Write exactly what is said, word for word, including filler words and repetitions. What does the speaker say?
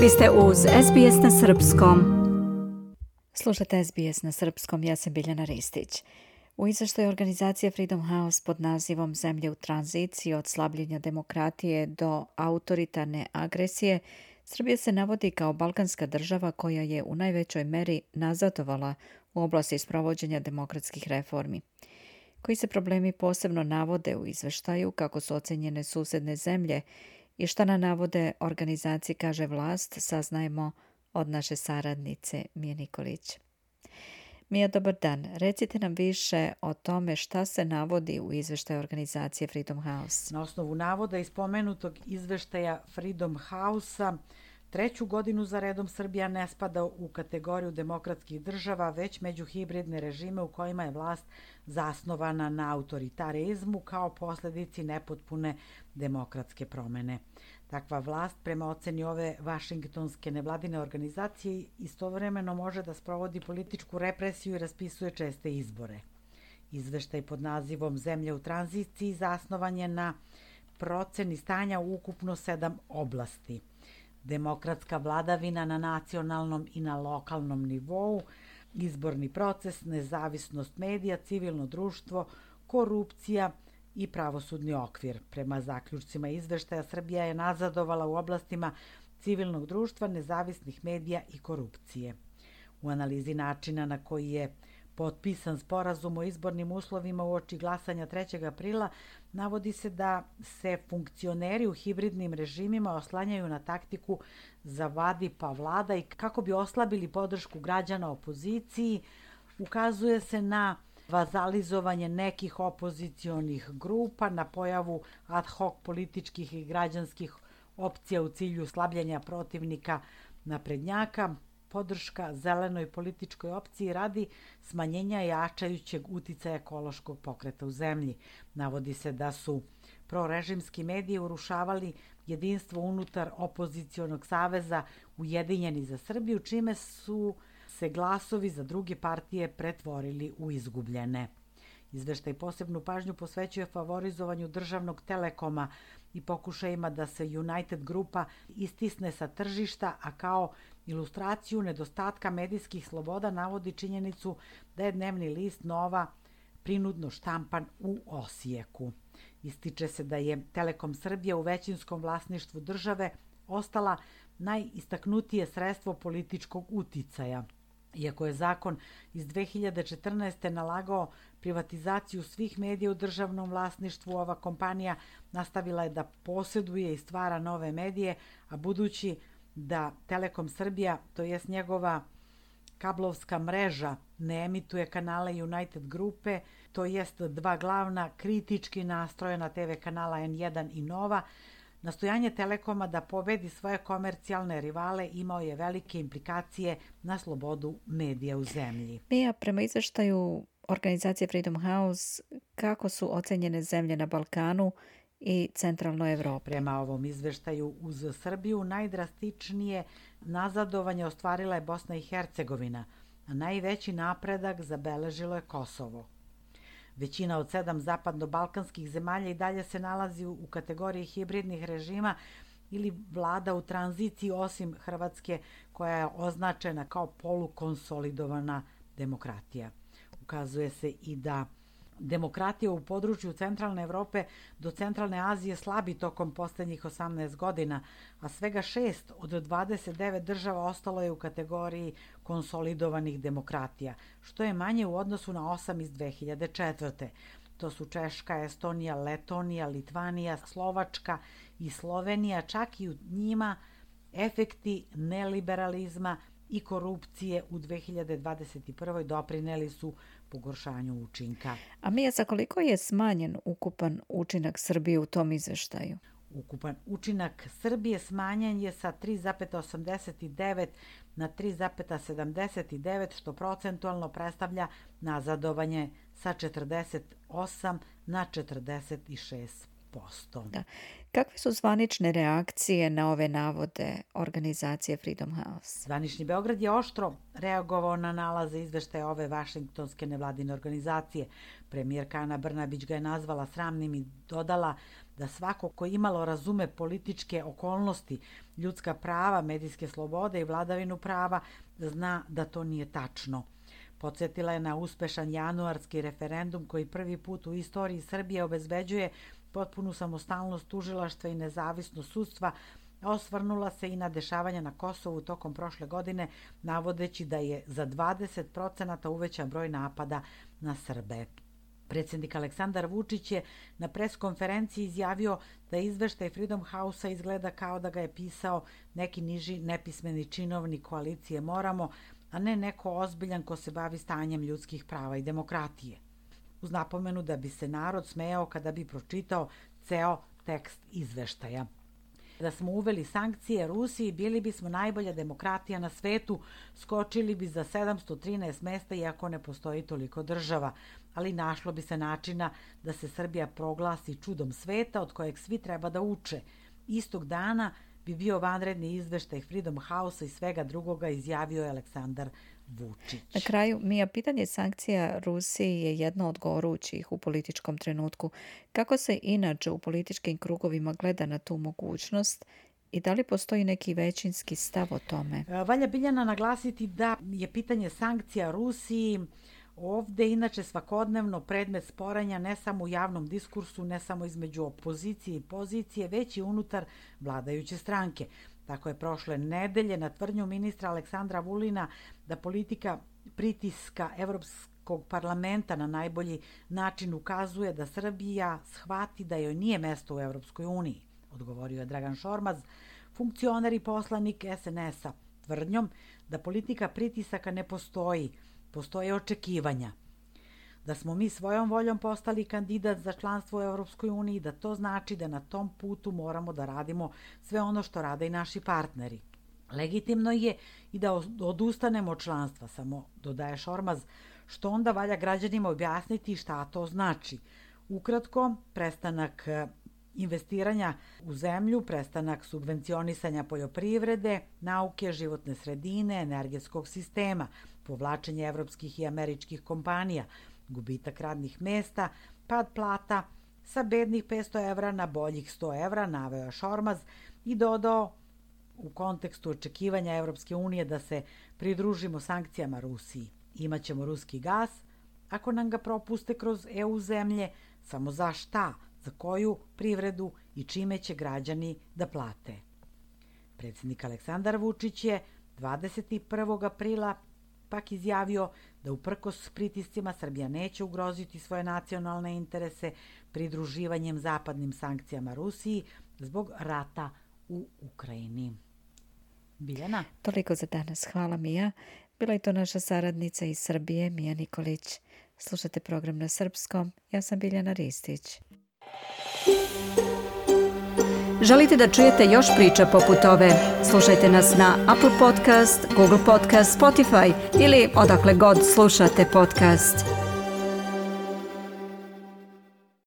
Vi ste uz S B S na srpskom. Slušate S B S na srpskom, ja sam Biljana Ristić. U izveštaju organizacije Freedom House pod nazivom Zemlje u tranziciji od slabljenja demokratije do autoritarne agresije, Srbija se navodi kao balkanska država koja je u najvećoj meri nazadovala u oblasti sprovođenja demokratskih reformi. Koji se problemi posebno navode u izveštaju, kako su ocenjene susedne zemlje i šta na navode organizacije kaže vlast, saznajemo od naše saradnice Mije Nikolić. Mija, dobar dan. Recite nam više o tome šta se navodi u izveštaju organizacije Freedom House. Na osnovu navoda iz pomenutog izveštaja Freedom House-a, treću godinu za redom Srbija ne spada u kategoriju demokratskih država, već među hibridne režime u kojima je vlast zasnovana na autoritarizmu kao posledici nepotpune demokratske promene. Takva vlast, prema oceni ove vašingtonske nevladine organizacije, istovremeno može da sprovodi političku represiju i raspisuje česte izbore. Izveštaj pod nazivom Zemlje u tranziciji zasnovan je na proceni stanja u ukupno sedam oblasti. Demokratska vladavina na nacionalnom i na lokalnom nivou, izborni proces, nezavisnost medija, civilno društvo, korupcija i pravosudni okvir. Prema zaključcima izveštaja, Srbija je nazadovala u oblastima civilnog društva, nezavisnih medija i korupcije. U analizi načina na koji je potpisan sporazum o izbornim uslovima uoči glasanja trećeg aprila, navodi se da se funkcioneri u hibridnim režimima oslanjaju na taktiku zavadi pa vlada i kako bi oslabili podršku građana opoziciji, ukazuje se na vazalizovanje nekih opozicionih grupa, na pojavu ad hoc političkih i građanskih opcija u cilju slabljenja protivnika naprednjaka, podrška zelenoj političkoj opciji radi smanjenja jačajućeg uticaja ekološkog pokreta u zemlji. Navodi se da su prorežimski mediji urušavali jedinstvo unutar opozicionog saveza Ujedinjeni za Srbiju, čime su se glasovi za druge partije pretvorili u izgubljene. Izveštaj posebnu pažnju posvećuje favorizovanju državnog Telekoma i pokušajima da se United grupa istisne sa tržišta, a kao ilustraciju nedostatka medijskih sloboda navodi činjenicu da je dnevni list Nova prinudno štampan u Osijeku. Ističe se da je Telekom Srbija u većinskom vlasništvu države ostala najistaknutije sredstvo političkog uticaja. Iako je zakon iz dve hiljade četrnaeste. nalagao privatizaciju svih medija u državnom vlasništvu, ova kompanija nastavila je da posjeduje i stvara nove medije, a budući da Telekom Srbija, to jest njegova kablovska mreža, ne emituje kanale United grupe, to jest dva glavna kritički nastrojena te ve kanala en jedan i Nova, nastojanje Telekoma da pobedi svoje komercijalne rivale imao je velike implikacije na slobodu medija u zemlji. Mija, prema izveštaju organizacije Freedom House, kako su ocenjene zemlje na Balkanu i centralnoj Evropi? Prema ovom izveštaju, uz Srbiju najdrastičnije nazadovanje ostvarila je Bosna i Hercegovina, a najveći napredak zabeležilo je Kosovo. Većina od sedam zapadno-balkanskih zemalja i dalje se nalazi u kategoriji hibridnih režima ili vlada u tranziciji, osim Hrvatske koja je označena kao polukonsolidovana demokratija. Ukazuje se i da demokratija u području centralne Evrope do centralne Azije slabi tokom poslednjih osamnaest godina, a svega šest od dvadeset devet država ostalo je u kategoriji konsolidovanih demokratija, što je manje u odnosu na osam iz dve hiljade četvrte. To su Češka, Estonija, Letonija, Litvanija, Slovačka i Slovenija, čak i u njima efekti neliberalizma i korupcije u dve hiljade dvadeset prve. doprineli su pogoršanju učinka. A Mija, za koliko je smanjen ukupan učinak Srbije u tom izveštaju? Ukupan učinak Srbije smanjen je sa tri zarez osamdeset devet na tri zarez sedamdeset devet, što procentualno predstavlja nazadovanje sa četrdeset osam na četrdeset šest posto. Da. Kakve su zvanične reakcije na ove navode organizacije Freedom House? Zvanični Beograd je oštro reagovao na nalaze izveštaja ove vašingtonske nevladine organizacije. Premijerka Ana Brnabić ga je nazvala sramnim i dodala da svako ko imalo razume političke okolnosti, ljudska prava, medijske slobode i vladavinu prava, zna da to nije tačno. Podsjetila je na uspešan januarski referendum koji prvi put u istoriji Srbije obezbeđuje potpunu samostalnost tužilaštva i nezavisnost sudstva, a osvrnula se i na dešavanja na Kosovu tokom prošle godine, navodeći da je za dvadeset procenata uvećan broj napada na Srbe. Predsjednik Aleksandar Vučić je na preskonferenciji izjavio da izveštaj Freedom House-a izgleda kao da ga je pisao neki niži nepismeni činovnik koalicije Moramo, a ne neko ozbiljan ko se bavi stanjem ljudskih prava i demokratije. Uz napomenu da bi se narod smejao kada bi pročitao ceo tekst izveštaja. Da smo uveli sankcije Rusiji, bili bismo najbolja demokratija na svetu, skočili bi za sedamsto trinaest mesta iako ne postoji toliko država, ali našlo bi se načina da se Srbija proglasi čudom sveta od kojeg svi treba da uče. Istog dana bi bio vanredni izveštaj Freedom House-a i svega drugoga, izjavio je Aleksandar Vučić. Na kraju, Mija, pitanje sankcija Rusiji je jedno od gorućih u političkom trenutku. Kako se inače u političkim krugovima gleda na tu mogućnost i da li postoji neki većinski stav o tome? Valja Biljana naglasiti da je pitanje sankcija Rusiji ovde inače svakodnevno predmet sporanja ne samo u javnom diskursu, ne samo između opozicije i pozicije, već i unutar vladajuće stranke. Tako je prošle nedelje na tvrdnju ministra Aleksandra Vulina da politika pritiska Evropskog parlamenta na najbolji način ukazuje da Srbija shvati da joj nije mesto u Evropskoj uniji, odgovorio je Dragan Šormaz, funkcioner i poslanik es en es-a, tvrdnjom da politika pritisaka ne postoji, postoje očekivanja. Da smo mi svojom voljom postali kandidat za članstvo u Evropskoj uniji, da to znači da na tom putu moramo da radimo sve ono što rade i naši partneri. Legitimno je i da odustanemo od članstva, samo dodaje Šormaz, što onda valja građanima objasniti šta to znači. Ukratko, prestanak investiranja u zemlju, prestanak subvencionisanja poljoprivrede, nauke, životne sredine, energetskog sistema, povlačenje evropskih i američkih kompanija, gubitak radnih mesta, pad plata sa bednih petsto evra na boljih sto evra, naveo je Šormaz i dodao u kontekstu očekivanja Evropske unije da se pridružimo sankcijama Rusiji. Imaćemo ruski gas, ako nam ga propuste kroz e u zemlje, samo za šta, za koju privredu i čime će građani da plate. Predsjednik Aleksandar Vučić je dvadeset prvog aprila pak izjavio da uprkos pritiscima Srbija neće ugroziti svoje nacionalne interese pridruživanjem zapadnim sankcijama Rusiji zbog rata u Ukrajini. Biljana? Toliko za danas. Hvala, Mija. Bila je to naša saradnica iz Srbije, Mija Nikolić. Slušate program na srpskom. Ja sam Biljana Ristić. Želite da čujete još priča poput ove? Slušajte nas na Apple Podcast, Google Podcast, Spotify ili odakle god slušate podcast.